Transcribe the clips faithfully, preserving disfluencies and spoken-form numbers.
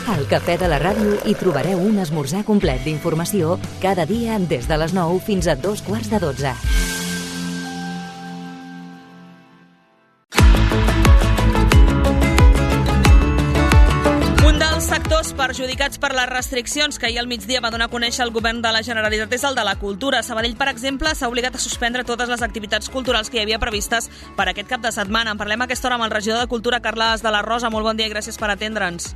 Al Cafè de la Ràdio hi trobareu un esmorzar complet d'informació cada dia des de les nou fins a dos quarts de dotze. Sectors perjudicats per les restriccions que ahir al migdia va donar a conèixer el govern de la Generalitat és el de la cultura. Sabadell, per exemple, s'ha obligat a suspendre totes les activitats culturals que hi havia previstes per aquest cap de setmana. En parlem a aquesta hora amb el regidor de Cultura, Carles de la Rosa. Molt bon dia i gràcies per atendre'ns.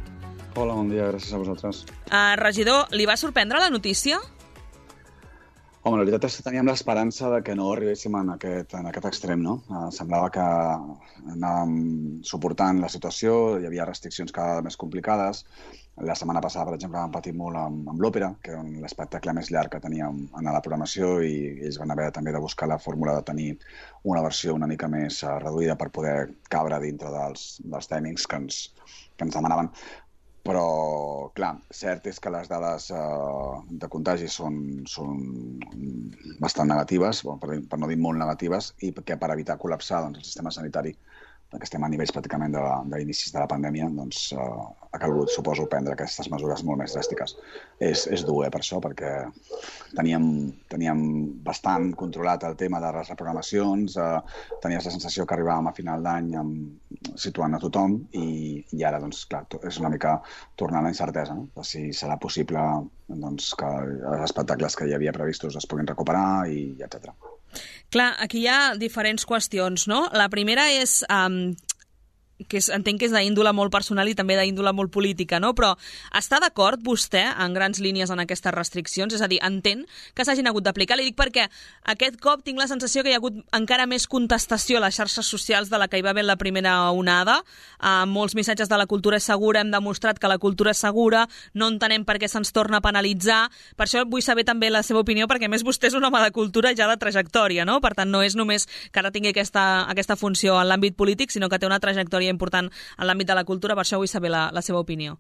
Hola, bon dia, gràcies a vosaltres. Uh, regidor, li va sorprendre la notícia? Home, la veritat és que teníem l'esperança de que no arribéssim en aquest, en aquest extrem, no? Uh, semblava que anàvem suportant la situació, hi havia restriccions cada vegada més complicades. La setmana passada, per exemple, vam patir molt amb, amb l'òpera, que era l'espectacle més llarg que teníem en la programació, i ells van haver també de buscar la fórmula de tenir una versió una mica més uh, reduïda per poder cabre dintre dels, dels timings que ens, que ens demanaven. Però, clar, cert és que les dades eh, de contagi són, són bastant negatives, per, per no dir molt negatives, i que per evitar col·lapsar doncs, el sistema sanitari, perquè estem a nivells pràcticament de, de inicis de la pandèmia, doncs eh, ha calgut, suposo, prendre aquestes mesures molt més dràstiques. És, és dur, eh, per això, perquè teníem, teníem bastant controlat el tema de les reprogramacions, eh, tenies la sensació que arribàvem a final d'any situant a tothom, i, i ara, doncs, clar, és una mica tornar a la incertesa, no? De si serà possible doncs, que els espectacles que hi havia previstos es puguin recuperar, i etcètera. Clar, aquí hi ha diferents qüestions, no? La primera és, um, que és, entenc que és d'índole molt personal i també d'índole molt política, no? Però està d'acord vostè en grans línies en aquestes restriccions? És a dir, entén que s'hagin hagut d'aplicar? Li dic perquè aquest cop tinc la sensació que hi ha hagut encara més contestació a les xarxes socials de la que hi va haver la primera onada. Uh, molts missatges de la cultura és segura, hem demostrat que la cultura és segura, no entenem per què se'ns torna a penalitzar. Per això vull saber també la seva opinió, perquè a més vostè és un home de cultura ja de trajectòria, no? Per tant, no és només que ara tingui aquesta, aquesta funció en l'àmbit polític, sinó que té una trajectòria important en l'àmbit de la cultura. Per això vull saber la, la seva opinió.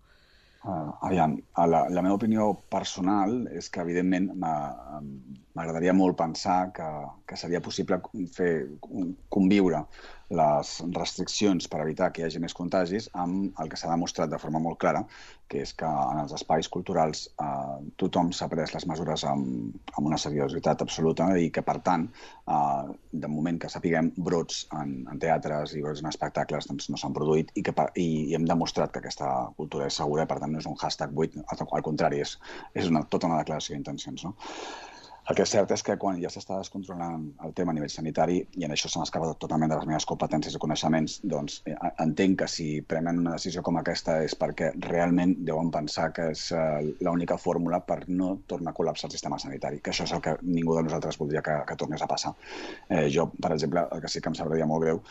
Uh, aviam, la, la meva opinió personal és que, evidentment, m'agradaria molt pensar que, que seria possible fer conviure les restriccions per evitar que hi hagi més contagis amb el que s'ha demostrat de forma molt clara, que és que en els espais culturals eh, tothom s'ha pres les mesures amb, amb una seriositat absoluta, i que, per tant, eh, de moment que sapiguem, brots en, en teatres i brots en espectacles doncs, no s'han produït, i, que, i, i hem demostrat que aquesta cultura és segura, i per tant no és un hashtag buit, al contrari, és, és una, tota una declaració d'intencions, no? El que és cert és que quan ja s'està descontrolant el tema a nivell sanitari, i en això se m'escapa totalment de les meves competències i coneixements, doncs entenc que si prenen una decisió com aquesta és perquè realment deuen pensar que és uh, l'única fórmula per no tornar a col·lapsar el sistema sanitari, que això és el que ningú de nosaltres voldria que, que tornés a passar. Eh, jo, per exemple, el que sí que em sabria molt greu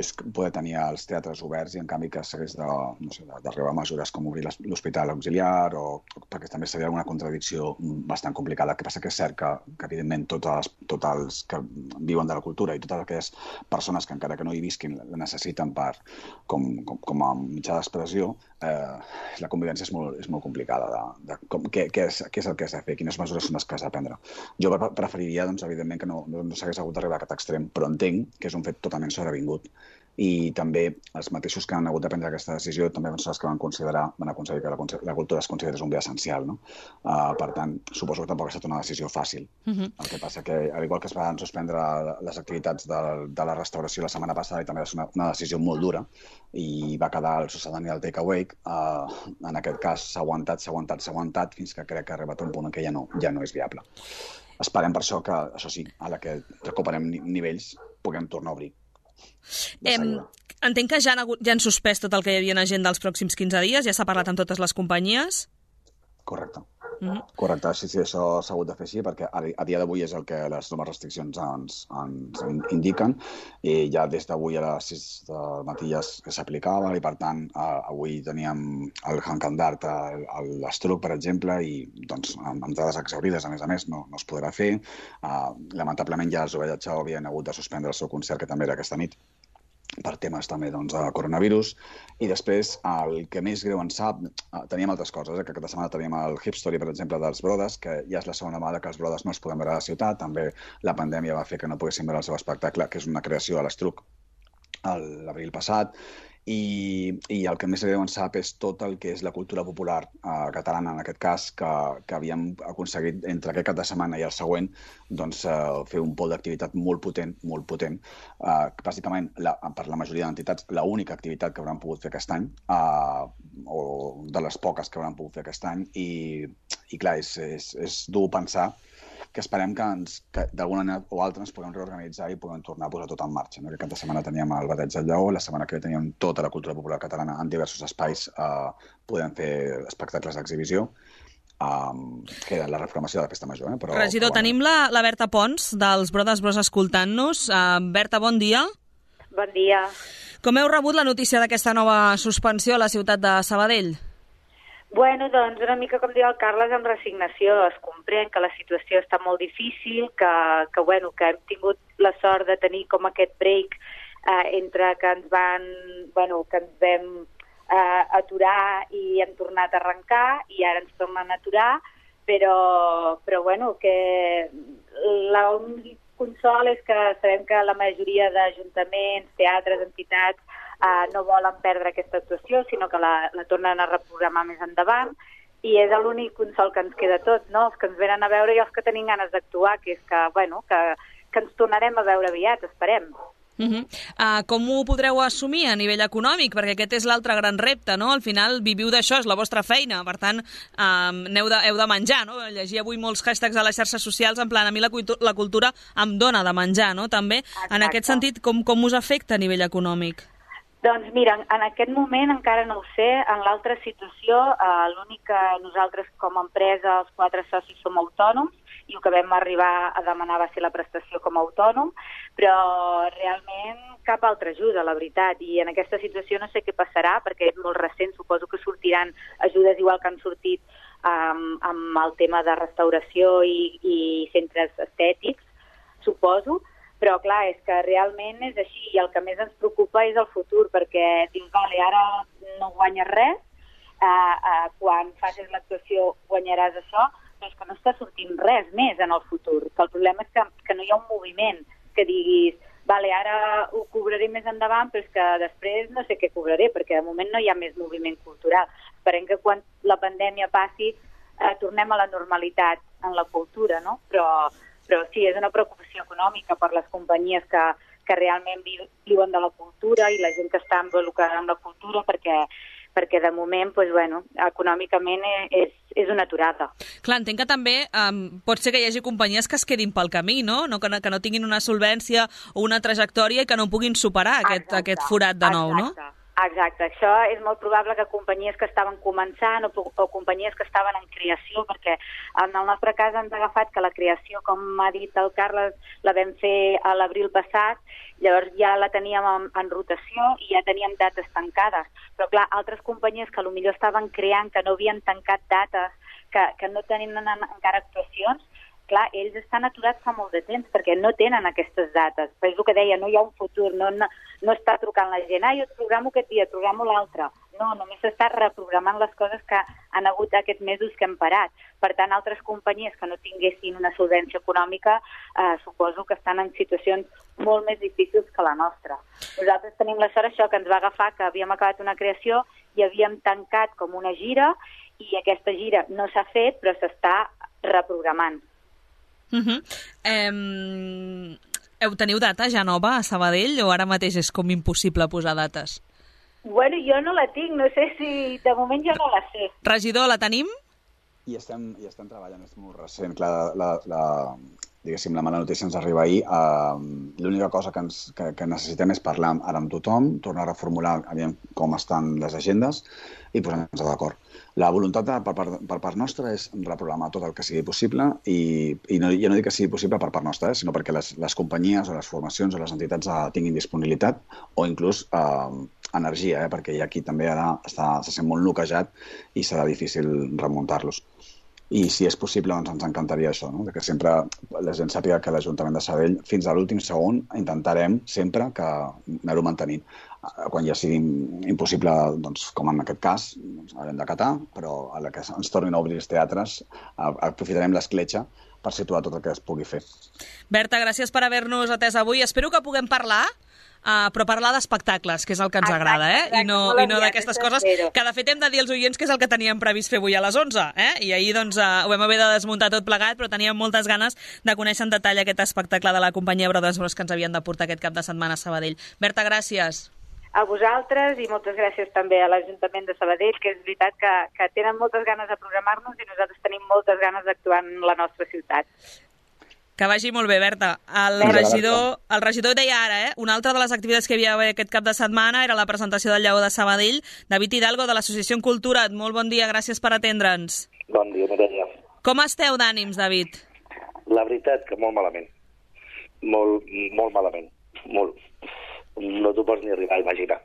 és poder tenir els teatres oberts i en canvi que s'hagués de, no sé, d'arribar a mesures com obrir l'hospital auxiliar, o perquè també seria una contradicció bastant complicada. El que passa que és cert que que evidentment tots, tots els que viuen de la cultura i totes aquelles persones que encara que no hi visquin la necessiten per, com, com, com a mitjà d'expressió, eh, la convivència és molt, és molt complicada. De, de, com, què, què, és, què és el que has de fer? Quines mesures són les que has de prendre? Jo preferiria, doncs, evidentment, que no, no, no s'hagués hagut d'arribar a aquest extrem, però entenc que és un fet totalment sobrevingut. I també els mateixos que han hagut de prendre aquesta decisió també van ser els que van considerar, van aconseguir que la, la cultura es considerés un bé essencial, no? Uh, per tant, suposo que tampoc ha estat una decisió fàcil. Uh-huh. El que passa que, al igual que es van suspendre les activitats de, de la restauració la setmana passada, i també va ser una, una decisió molt dura, i va quedar el sucedani del takeaway, uh, en aquest cas s'ha aguantat, s'ha aguantat, s'ha aguantat, fins que crec que ha arribat un punt en què ja no, ja no és viable. Esperem per això que, això sí, a la que recuperem nivells, puguem tornar a obrir. Em, entenc que ja han, hagut, ja han suspès tot el que hi havia en agenda dels pròxims quinze dies, ja s'ha parlat amb totes les companyies? Correcte. Mm-hmm. Correcte, sí, sí, això s'ha hagut de fer així, perquè a, a dia d'avui és el que les noves restriccions ens, ens indiquen, i ja des d'avui a les sis del matí ja s'aplicava, i per tant avui teníem el Hankan d'Art a l'Estruc, per exemple, i doncs amb entrades exaurides, a més a més, no, no es podrà fer. Uh, lamentablement ja els Ovella Chao havien hagut de suspendre el seu concert, que també era aquesta nit, per temes també doncs, de coronavirus. I després, el que més greu en sap, teníem altres coses, eh? que aquesta setmana teníem el Hip Story, per exemple, dels Brodes, que ja és la segona vegada que els Brodes no es poden veure a la ciutat. També la pandèmia va fer que no poguéssim veure el seu espectacle, que és una creació a l'Estruc l'abril passat. i, i el que més greu en sap és tot el que és la cultura popular eh, catalana, en aquest cas, que, que havíem aconseguit entre aquest cap de setmana i el següent doncs, eh, fer un pol d'activitat molt potent, molt potent. Eh, bàsicament, la, per la majoria d'entitats, l'única activitat que hauran pogut fer aquest any, eh, o de les poques que hauran pogut fer aquest any, i, i clar, és, és, és dur pensar que esperem que, ens, que d'alguna manera o altra ens puguem reorganitzar i puguem tornar a posar tot en marxa. No? Aquest cap de setmana teníem el Bateig del Lleó, la setmana que ve teníem tota la cultura popular catalana en diversos espais, eh, podem fer espectacles d'exhibició, eh, que la reformació de la Festa Major. Eh? Però, Regidor, però, bueno. tenim la, la Berta Pons, dels Brothers Bros escoltant-nos. Uh, Berta, bon dia. Bon dia. Com heu rebut la notícia d'aquesta nova suspensió a la ciutat de Sabadell? Bueno, doncs una mica com diu el Carles, amb resignació. Es comprèn que la situació està molt difícil, que, que, bueno, que hem tingut la sort de tenir com aquest break eh, entre que ens van, bueno, que ens vam eh, aturar i hem tornat a arrencar i ara ens tornen a aturar, però, però bueno, que l'únic consol és que sabem que la majoria d'ajuntaments, teatres, entitats, Uh, no volen perdre aquesta actuació, sinó que la, la tornen a reprogramar més endavant, i és l'únic consol que ens queda tot, no? Els que ens venen a veure i els que tenim ganes d'actuar, que és que, bueno, que, que ens tornarem a veure aviat, esperem. Uh -huh. uh, com ho podreu assumir a nivell econòmic? Perquè aquest és l'altre gran repte, no? Al final viviu d'això, és la vostra feina, per tant, um, heu, de, heu de menjar, no? Llegir avui molts hashtags a les xarxes socials en plan, a mi la, la cultura em dona de menjar, no? També, exacte. En aquest sentit, com, com us afecta a nivell econòmic? Doncs mira, en aquest moment encara no ho sé. En l'altra situació, eh, l'únic que nosaltres com a empresa, els quatre socis, som autònoms, i el que vam arribar a demanar va ser la prestació com a autònom, però realment cap altra ajuda, la veritat. I en aquesta situació no sé què passarà, perquè és molt recent, suposo que sortiran ajudes igual que han sortit um, amb el tema de restauració i, i centres estètics, suposo. Però, clar, és que realment és així, i el que més ens preocupa és el futur, perquè dius, vale, ara no guanyes res, eh, eh, quan facis l'actuació guanyaràs això, però és que no està sortint res més en el futur. Que el problema és que, que no hi ha un moviment que diguis, vale, ara ho cobraré més endavant, però és que després no sé què cobraré, perquè de moment no hi ha més moviment cultural. Esperem que quan la pandèmia passi eh, tornem a la normalitat en la cultura, no? Però... Però sí, és una preocupació econòmica per les companyies que, que realment viuen de la cultura i la gent que està involucrada en la cultura, perquè, perquè de moment, doncs, bueno, econòmicament és, és una aturada. Clar, entenc que també um, pot ser que hi hagi companyies que es quedin pel camí, no? no que, que no tinguin una solvència o una trajectòria i que no puguin superar aquest, aquest forat de nou, exacte. no? Exacte, això és molt probable que companyies que estaven començant o, o companyies que estaven en creació, perquè en el nostre cas ens ha agafat que la creació, com ha dit el Carles, la vam fer a l'abril passat, llavors ja la teníem en, en rotació i ja teníem dates tancades. Però clar, altres companyies que potser estaven creant, que no havien tancat dates, que, que no tenen encara actuacions, clar, ells estan aturats fa molt de temps perquè no tenen aquestes dates. Però és el que deia, no hi ha un futur, no, no, no està trucant la gent, ah, jo et programo aquest dia, et programo l'altre. No, només s'està reprogramant les coses que han hagut aquests mesos que hem parat. Per tant, altres companyies que no tinguessin una solvència econòmica eh, suposo que estan en situacions molt més difícils que la nostra. Nosaltres tenim la sort això, que ens va agafar, que havíem acabat una creació i havíem tancat com una gira i aquesta gira no s'ha fet, però s'està reprogramant. Uh -huh. eh, heu teniu data ja nova a Sabadell o ara mateix és com impossible posar dates? Bueno, jo no la tinc, no sé si... De moment jo no la sé. Regidor, la tenim? I estem, i estem treballant, és molt recent. Clar, la, la, diguéssim, la mala notícia ens arriba ahir. Uh, L'única cosa que, ens, que, que necessitem és parlar ara amb tothom, tornar a reformular aviam com estan les agendes i posar-nos d'acord. La voluntat de, per, part, per part nostra és reprogramar tot el que sigui possible i, i no, jo no dic que sigui possible per part nostra, eh, sinó perquè les, les companyies o les formacions o les entitats uh, tinguin disponibilitat o inclús uh, energia, eh, perquè hi ha qui també ara està, se sent molt noquejat i serà difícil remuntar-los. I si és possible, doncs ens encantaria això, no? Que sempre la gent sàpiga que l'Ajuntament de Sabadell, fins a l'últim segon, intentarem sempre que anar-ho mantenint. Quan ja sigui impossible, doncs, com en aquest cas, doncs, haurem d'acatar, però a la que ens tornin a obrir els teatres, aprofitarem l'escletxa per situar tot el que es pugui fer. Berta, gràcies per haver-nos atès avui. Espero que puguem parlar uh, però parlar d'espectacles, que és el que ens agrada, eh? I no, i no d'aquestes coses, que de fet hem de dir als oients que és el que teníem previst fer avui a les onze, eh? I ahir doncs uh, ho vam haver de desmuntar tot plegat, però teníem moltes ganes de conèixer en detall aquest espectacle de la companyia Brothers Bros que ens havien de portar aquest cap de setmana a Sabadell. Berta, gràcies. A vosaltres i moltes gràcies també a l'Ajuntament de Sabadell, que és veritat que, que tenen moltes ganes de programar-nos i nosaltres tenim moltes ganes d'actuar en la nostra ciutat. Que vagi molt bé, Berta. El Vinga, regidor, el regidor deia ara, eh? Una altra de les activitats que hi havia aquest cap de setmana era la presentació del Lleó de Sabadell. David Hidalgo, de l'Associació en Cultura. Molt bon dia, gràcies per atendre'ns. Bon dia, Mireia. Com esteu d'ànims, David? La veritat que molt malament. Molt, molt malament. Molt. No t'ho pots ni arribar a imaginar.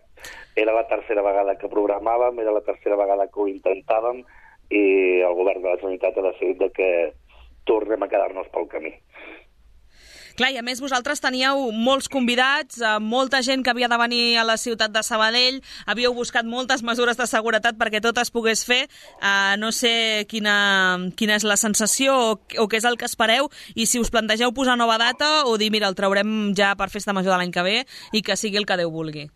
Era la tercera vegada que programàvem, era la tercera vegada que ho intentàvem i el govern de la Generalitat ha decidit que tornem a quedar-nos pel camí. Clar, i a més vosaltres teníeu molts convidats, eh, molta gent que havia de venir a la ciutat de Sabadell, havíeu buscat moltes mesures de seguretat perquè tot es pogués fer. Eh, no sé quina, quina és la sensació o, o què és el que espereu, i si us plantegeu posar nova data o dir, mira, el traurem ja per festa major de l'any que ve i que sigui el que Déu vulgui.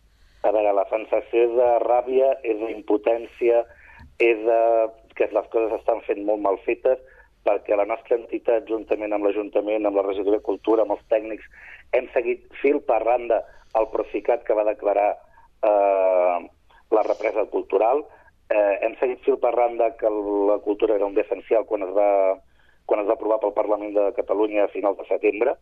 A veure, la sensació és de ràbia, és d'impotència, és de que les coses estan fent molt mal fetes, perquè la nostra entitat, juntament amb l'Ajuntament, amb la Regidoria de Cultura, amb els tècnics, hem seguit fil per randa el Procicat que va declarar eh, la represa cultural, eh, hem seguit fil per randa que la cultura era un bé essencial quan es va, quan es va aprovar pel Parlament de Catalunya a finals de setembre,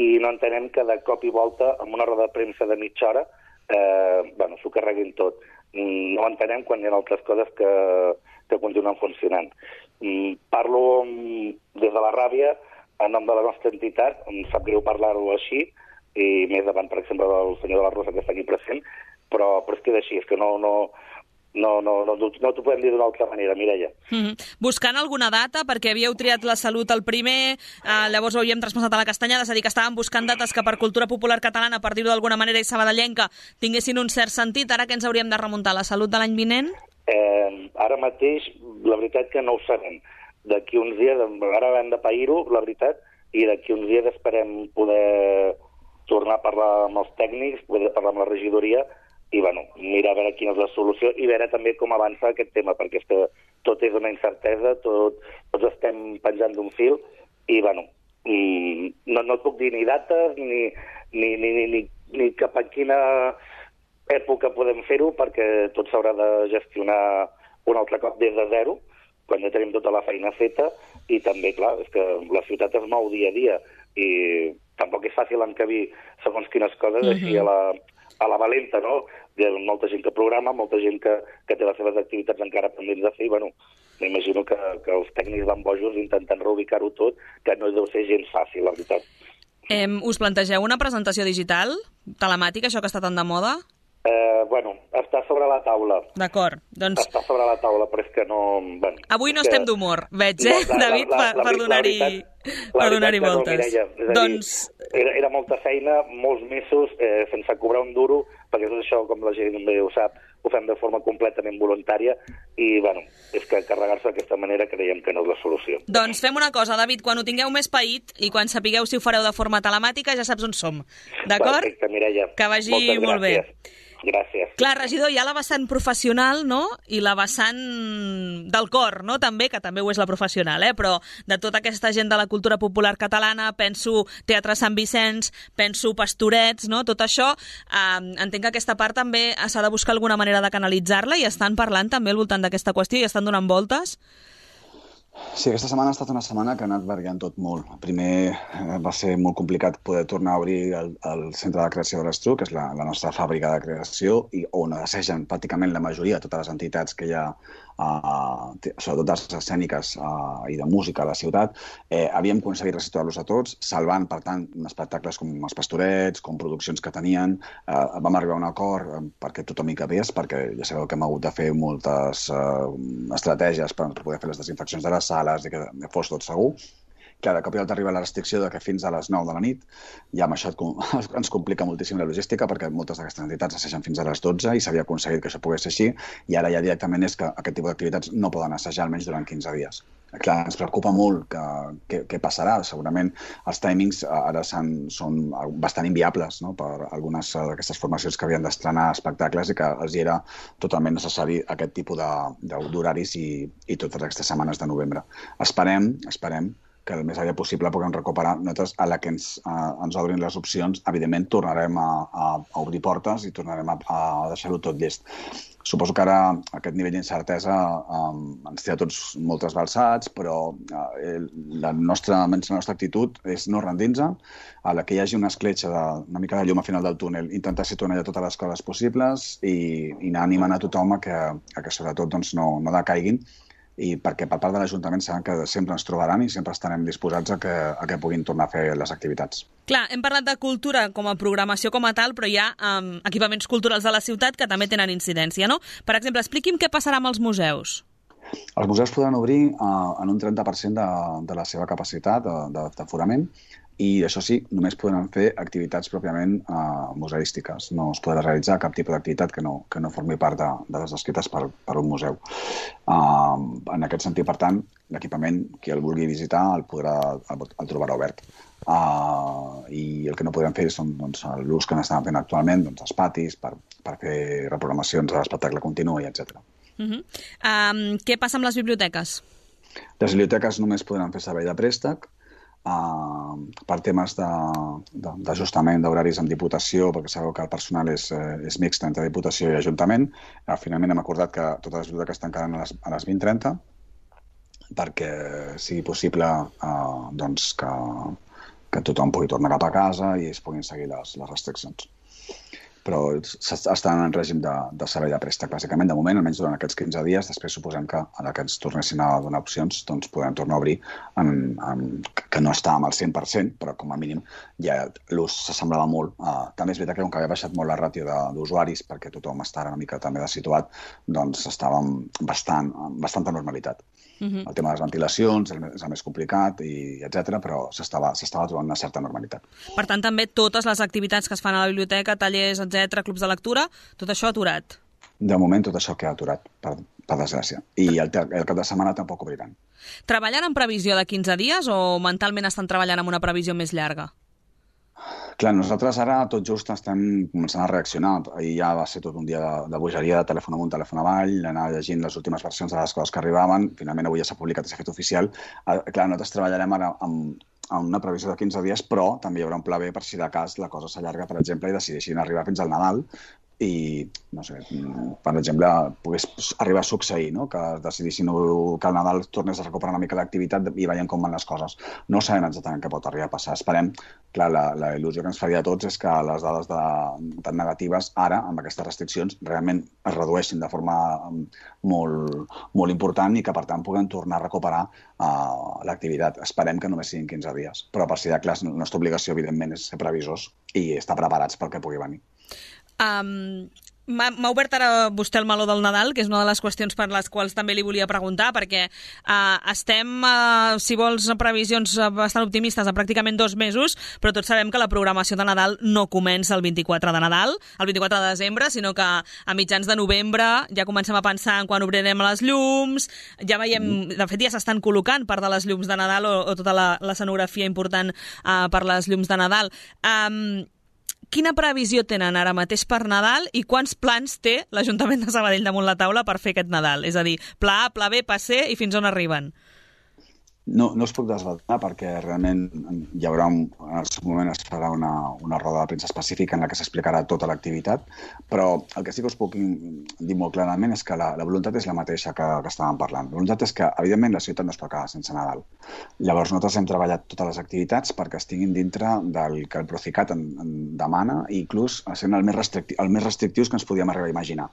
i no entenem que de cop i volta, amb una roda de premsa de mitja hora, eh, bueno, s'ho carreguin tot. No entenem quan hi ha altres coses que, que continuen funcionant. Parlo des de la ràbia en nom de la nostra entitat, em sap greu parlar-ho així, i més davant, per exemple, del senyor de la Rosa, que està aquí present, però, però és que és així, és que no, no, no, no, no, no t'ho podem dir d'una altra manera, Mireia. Mm-hmm. Buscant alguna data, perquè havíeu triat la salut el primer, eh, llavors ho havíem traspassat a la Castanyada, és a dir, que estàvem buscant dates que per cultura popular catalana, per dir-ho d'alguna manera, i sabadellenca, tinguessin un cert sentit. Ara que ens hauríem de remuntar, la salut de l'any vinent? Eh, ara mateix, la veritat que no ho sabem. D'aquí uns dies, ara hem de pair-ho, la veritat, i d'aquí uns dies esperem poder tornar a parlar amb els tècnics, poder parlar amb la regidoria, i bueno, mirar a veure quina és la solució i veure també com avança aquest tema, perquè és que tot és una incertesa, tot, tots estem penjant d'un fil, i bueno, no, no et puc dir ni dates, ni, ni, ni, ni, ni, ni cap a quina època podem fer-ho, perquè tot s'haurà de gestionar un altre cop des de zero, quan ja tenim tota la feina feta, i també, clar, és que la ciutat es mou dia a dia, i tampoc és fàcil encabir segons quines coses mm-hmm. així a la, a la valenta, no? Hi ha molta gent que programa, molta gent que, que té les seves activitats encara pendents de fer, i bueno, m'imagino que, que els tècnics van bojos intentant reubicar-ho tot, que no deu ser gens fàcil, la veritat. Eh, us plantegeu una presentació digital, telemàtica, això que està tan de moda? Eh, bueno, està sobre la taula. D'acord, doncs... Està sobre la taula, però és que no... Bueno, avui no que... estem d'humor, veig, eh, no, la, David, la, la, per, per donar-hi per donar-hi voltes. No, Mireia, és a dir, doncs... era, era molta feina, molts mesos, eh, sense cobrar un duro, perquè tot això, com la gent bé ho sap, ho fem de forma completament voluntària, i, bueno, és que carregar-se d'aquesta manera creiem que no és la solució. Doncs fem una cosa, David, quan ho tingueu més paït i quan sapigueu si ho fareu de forma telemàtica, ja saps on som, d'acord? Perfecte, Mireia. Que vagi molt bé. Gràcies. Clar, regidor, hi ha la vessant professional, no?, i la vessant del cor, no?, també, que també ho és la professional, eh?, però de tota aquesta gent de la cultura popular catalana, penso Teatre Sant Vicenç, penso Pastorets, no?, tot això, eh, entenc que aquesta part també s'ha de buscar alguna manera de canalitzar-la, i estan parlant també al voltant d'aquesta qüestió i estan donant voltes? Sí, aquesta setmana ha estat una setmana que ha anat variant tot molt. Primer eh, va ser molt complicat poder tornar a obrir el, el Centre de Creació de l'Estruc, que és la, la nostra fàbrica de creació, i on assegen pràcticament la majoria de totes les entitats que hi ha, eh, sobretot les escèniques eh, i de música a la ciutat. Eh, havíem aconseguit resituar-los a tots, salvant, per tant, espectacles com els Pastorets, com produccions que tenien. Eh, vam arribar a un acord eh, perquè tothom hi cabés, perquè ja sabeu que hem hagut de fer moltes eh, estratègies per poder fer les desinfeccions de les sales i que fos tot segur. Clar, de cop i volta arriba la restricció de que fins a les nou de la nit, ja amb això ens complica moltíssim la logística, perquè moltes d'aquestes entitats assegen fins a les dotze i s'havia aconseguit que això pogués ser així, i ara ja directament és que aquest tipus d'activitats no poden assajar almenys durant quinze dies. Clar, ens preocupa molt que, que, què passarà. Segurament els timings ara són bastant inviables, no?, per algunes d'aquestes formacions que havien d'estrenar espectacles i que els era totalment necessari aquest tipus d'horaris i, i totes aquestes setmanes de novembre. Esperem, esperem que el més aviat possible puguem recuperar. Nosaltres, a la que ens, a, ens obrin les opcions, evidentment tornarem a, a, a obrir portes i tornarem a, a deixar-ho tot llest. Suposo que ara aquest nivell d'incertesa um, ens té a tots molt trasbalsats, però uh, la, nostra, la nostra actitud és no rendir-nos, a la que hi hagi una escletxa, de, una mica de llum al final del túnel, intentar situar allà totes les coses possibles i, i anar animant a tothom a que, a que sobretot doncs, no, no decaiguin, i perquè per part de l'Ajuntament saben que sempre ens trobaran i sempre estarem disposats a que, a que puguin tornar a fer les activitats. Clar, hem parlat de cultura com a programació com a tal, però hi ha um, equipaments culturals de la ciutat que també tenen incidència, no? Per exemple, expliqui'm què passarà amb els museus. Els museus podran obrir uh, en un trenta per cent de, de la seva capacitat d'aforament, i això sí, només podran fer activitats pròpiament uh, museístiques. No es podrà realitzar cap tipus d'activitat que, no, que no formi part de, de les descrites per, per un museu. Uh, en aquest sentit, per tant, l'equipament, qui el vulgui visitar, el, podrà, el, el trobarà obert. Uh, I el que no podrem fer són doncs, l'ús que n'estan fent actualment, doncs, els patis, per, per fer reprogramacions de l'espectacle continu, etcètera. Uh-huh. um, què passa amb les biblioteques? Les biblioteques només podran fer servei de préstec, Uh, per temes d'ajustament d'horaris amb Diputació, perquè sabeu que el personal és, és mixt entre Diputació i Ajuntament. Uh, finalment hem acordat que totes les biblioteques tancaran a les, a les vint trenta perquè sigui possible uh, doncs que, que tothom pugui tornar cap a casa i es puguin seguir les, les restriccions. Però estan en règim de, de servei de préstec, bàsicament, de moment, almenys durant aquests quinze dies. Després suposem que a la que ens tornessin a donar opcions, doncs podem tornar a obrir, en, en, que no estàvem al cent per cent, però com a mínim ja l'ús s'assemblava molt. Uh, també és veritat que com que havia baixat molt la ràtio d'usuaris, perquè tothom està una mica també situat, doncs estàvem bastant, amb bastanta normalitat. Uh-huh. El tema de les ventilacions és el més complicat, i etcètera, però s'estava trobant una certa normalitat. Per tant, també totes les activitats que es fan a la biblioteca, tallers, etcètera, clubs de lectura, tot això aturat? De moment tot això queda aturat, per, per desgràcia. I el, el cap de setmana tampoc obriran. Treballen en previsió de quinze dies o mentalment estan treballant en una previsió més llarga? Clar, nosaltres ara tot just estem començant a reaccionar. Ahir ja va ser tot un dia de, de bogeria, de telèfon amunt, telèfon avall, anar llegint les últimes versions de les coses que arribaven. Finalment avui ja s'ha publicat i s'ha fet oficial. Uh, clar, nosaltres treballarem ara amb, amb una previsió de quinze dies, però també hi haurà un pla B per si de cas la cosa s'allarga, per exemple, i decideixin arribar fins al Nadal i, no sé, per exemple, pogués arribar a succeir, no?, que decidissin que el Nadal tornés a recuperar una mica l'activitat i veiem com van les coses. No sabem exactament què pot arribar a passar. Esperem, clar, la, la il·lusió que ens faria a tots és que les dades de, tan negatives ara, amb aquestes restriccions, realment es redueixin de forma molt, molt important i que, per tant, puguem tornar a recuperar uh, l'activitat. Esperem que només siguin quinze dies, però per si de clar, la nostra obligació, evidentment, és ser previsors i estar preparats pel que pugui venir. Um, M'ha obert ara vostè el meló del Nadal, que és una de les qüestions per les quals també li volia preguntar, perquè uh, estem, uh, si vols, previsions bastant optimistes a pràcticament dos mesos, però tots sabem que la programació de Nadal no comença el vint-i-quatre de Nadal, el vint-i-quatre de desembre, sinó que a mitjans de novembre ja comencem a pensar en quan obrirem les llums, ja veiem, de fet ja s'estan col·locant part de les llums de Nadal o, o tota la, l'escenografia important uh, per les llums de Nadal. Um, Quina previsió tenen ara mateix per Nadal i quants plans té l'Ajuntament de Sabadell damunt la taula per fer aquest Nadal? És a dir, pla A, pla B, pla C i fins on arriben? No, no us puc desvelar perquè realment hi haurà un, en el seu moment es farà una, una roda de premsa específica en la que s'explicarà tota l'activitat, però el que sí que us puc dir molt clarament és que la, la voluntat és la mateixa que, que estàvem parlant. La voluntat és que, evidentment, la ciutat no es pot quedar sense Nadal. Llavors, nosaltres hem treballat totes les activitats perquè estiguin dintre del que el Procicat en, en demana i inclús sent el més, restricti, el més restrictius que ens podíem arribar a imaginar.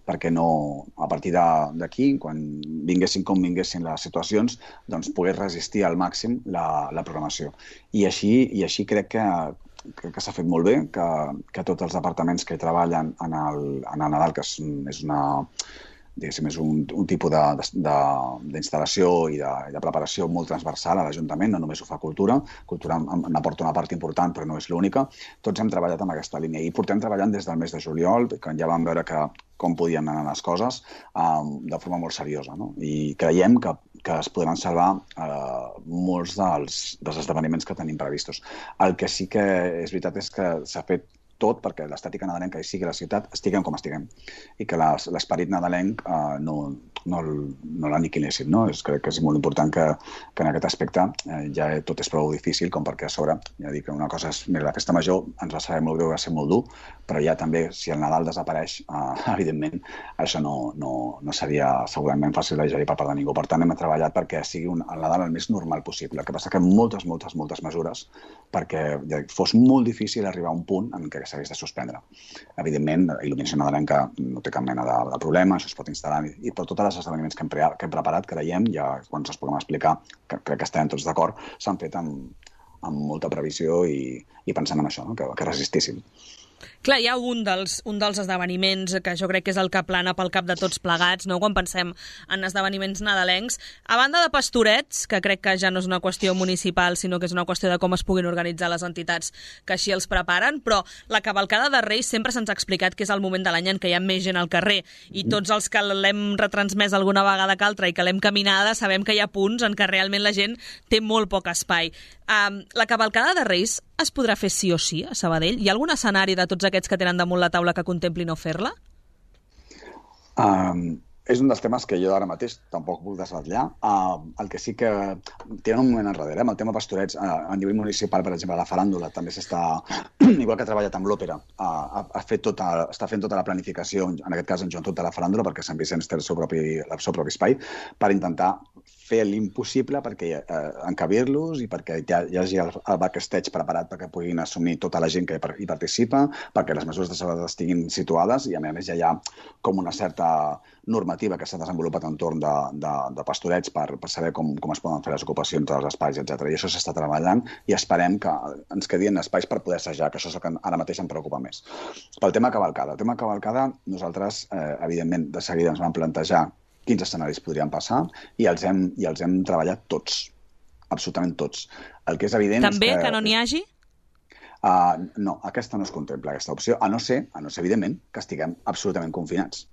Perquè no, a partir d'aquí, quan vinguessin com vinguessin les situacions, doncs pogués resistir al màxim la, la programació. I així, i així crec que, que, que s'ha fet molt bé, que, que tots els departaments que hi treballen en el, en el Nadal, que és, és una... diguéssim, és un, un tipus d'instal·lació i, de, i de preparació molt transversal a l'Ajuntament, no només ho fa Cultura, Cultura n'aporta una part important però no és l'única, tots hem treballat en aquesta línia i portem treballant des del mes de juliol, quan ja vam veure que com podien anar les coses, um, de forma molt seriosa, no? I creiem que que es podran salvar eh, molts dels, dels esdeveniments que tenim previstos. El que sí que és veritat és que s'ha fet tot perquè l'estètica nadalenca hi sigui a la ciutat, estiguem com estiguem, i que l'esperit nadalenc eh, no, no, no l'aniquilessin, no? És, crec que és molt important que, que en aquest aspecte eh, ja tot és prou difícil com perquè a sobre, ja dic que una cosa és, mira, la festa major ens va saber molt greu, va ser molt dur, però ja també, si el Nadal desapareix, eh, evidentment, això no, no, no seria segurament fàcil de digerir per part de ningú. Per tant, hem treballat perquè sigui un, el Nadal el més normal possible. El que passa que moltes, moltes, moltes mesures perquè ja dic, fos molt difícil arribar a un punt en què s'hagués de suspendre. Evidentment, la il·luminació nadalenca no té cap mena de, de problema, això es pot instal·lar, i per tots els esdeveniments que hem, pre que hem preparat, creiem, ja quan ens puguem explicar, que crec que estem tots d'acord, s'han fet amb, amb molta previsió i, i pensant en això, no? que, que resistissin. Clar, hi ha un dels, un dels esdeveniments que jo crec que és el que plana pel cap de tots plegats, no? Quan pensem en esdeveniments nadalencs. A banda de pastorets, que crec que ja no és una qüestió municipal, sinó que és una qüestió de com es puguin organitzar les entitats que així els preparen, però la cavalcada de Reis sempre se'ns ha explicat que és el moment de l'any en què hi ha més gent al carrer, i tots els que l'hem retransmès alguna vegada que altra i que l'hem caminada sabem que hi ha punts en què realment la gent té molt poc espai. Um, la cavalcada de Reis es podrà fer sí o sí a Sabadell? Hi ha algun escenari de tots aquests que tenen damunt la taula que contempli no fer-la? Um, és un dels temes que jo ara mateix tampoc puc desvetllar. Uh, el que sí que tenen un moment enrere, eh? Amb el tema pastorets, uh, a nivell municipal, per exemple, la faràndula també s'està, igual que ha treballat amb l'òpera, uh, ha, ha fet tota, està fent tota la planificació, en aquest cas en joventut de la faràndula, perquè Sant Vicenç té el seu propi, el seu propi espai, per intentar fer l'impossible perquè eh, encabir-los i perquè hi, hi hagi el, el backstage preparat perquè puguin assumir tota la gent que hi participa, perquè les mesures de seguretat estiguin situades i a més ja hi ha com una certa normativa que s'ha desenvolupat entorn de, de, de pastorets per, per saber com, com es poden fer les ocupacions dels espais, etcètera. I això s'està treballant i esperem que ens quedin espais per poder assajar, que això és el que ara mateix em preocupa més. Pel tema cavalcada. El tema cavalcada, nosaltres, eh, evidentment, de seguida ens vam plantejar quins escenaris podrien passar i els hem, i els hem treballat tots, absolutament tots. El que és evident També és que... que no n'hi hagi? Uh, no, aquesta no es contempla, aquesta opció, a no ser, a no ser evidentment, que estiguem absolutament confinats.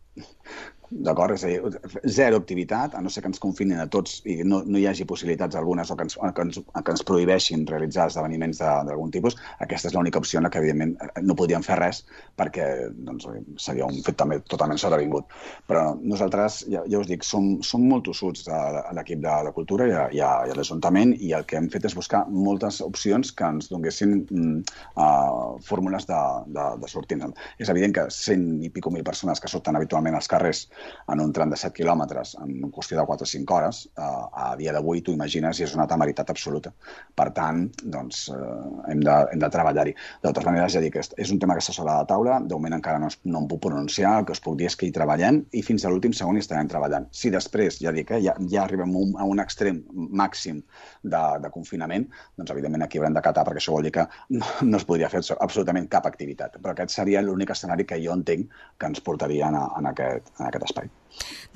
D'acord? És a dir, zero activitat, a no ser que ens confinin a tots i no, no hi hagi possibilitats algunes o que ens, que ens, que ens prohibeixin realitzar esdeveniments d'algun tipus. Aquesta és l'única opció en la que, evidentment, no podríem fer res perquè doncs, seria un fet també totalment sobrevingut. Però nosaltres, ja, ja us dic, som, som molt tossuts a l'equip de, de Cultura i a, i a, i a l'Ajuntament i el que hem fet és buscar moltes opcions que ens donguessin mm, uh, fórmules de, de, de sortir. És evident que cent i pico mil persones que surten habitualment als carrers en un tram de set quilòmetres en qüestió de quatre o cinc hores, eh, a dia d'avui t'ho imagines i és una temeritat absoluta. Per tant, doncs, eh, hem de, hem de treballar-hi. De totes maneres, ja dic, és, és un tema que està sobre la taula, de moment encara no, es, no em puc pronunciar, el que us puc dir és que hi treballem i fins a l'últim segon hi estarem treballant. Si després, ja dic, eh, ja, ja arribem a un, a un extrem màxim de, de confinament, doncs evidentment aquí haurem d'acatar perquè això vol dir que no, no es podria fer absolutament cap activitat. Però aquest seria l'únic escenari que jo entenc que ens portaria en, en, aquest, en aquest espai.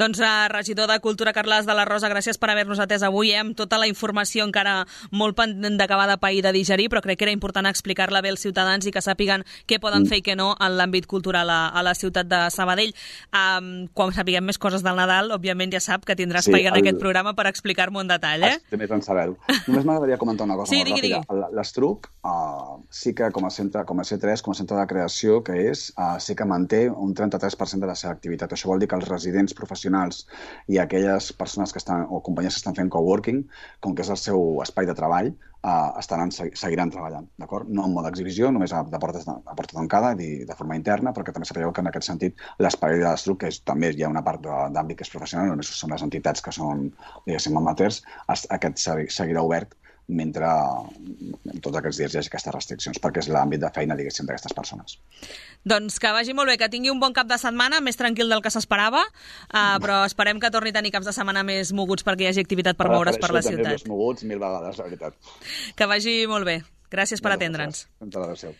Doncs, uh, regidor de Cultura, Carles de la Rosa, gràcies per haver-nos atès avui, eh, amb tota la informació encara molt pendent d'acabar de pair i de digerir, però crec que era important explicar-la bé als ciutadans i que sàpiguen què poden fer i què no en l'àmbit cultural a, a la ciutat de Sabadell. Um, quan sapiguem més coses del Nadal, òbviament ja sap que tindrà espai sí, el... en aquest programa per explicar-m'ho en detall. Eh? Estic més en saber-ho. Només m'agradaria comentar una cosa sí, molt digui, ràpida. Digui. L'Estruc uh, sí que com a, centre, com a C tres, com a centre de creació que és, uh, sí que manté un trenta-tres per cent de la seva activitat. Això vol dir que els residents professionals i aquelles persones que estan, o companyies que estan fent coworking, com que és el seu espai de treball, eh, estaran, seguiran treballant, d'acord? No en mode exhibició, només a, de portes de, a porta tancada i de forma interna, perquè també sapigueu que en aquest sentit l'espai de l'Estruc, que és, també hi ha una part d'àmbit que és professional, només són les entitats que són, diguéssim, amateurs, aquest seguirà obert mentre en tots aquests dies hi hagi aquestes restriccions, perquè és l'àmbit de feina, diguéssim, d'aquestes persones. Doncs que vagi molt bé, que tingui un bon cap de setmana, més tranquil del que s'esperava, uh, però esperem que torni a tenir caps de setmana més moguts perquè hi hagi activitat per moure's per la ciutat. Més moguts mil vegades, la veritat. Que vagi molt bé. Gràcies per atendre'ns. Gràcies.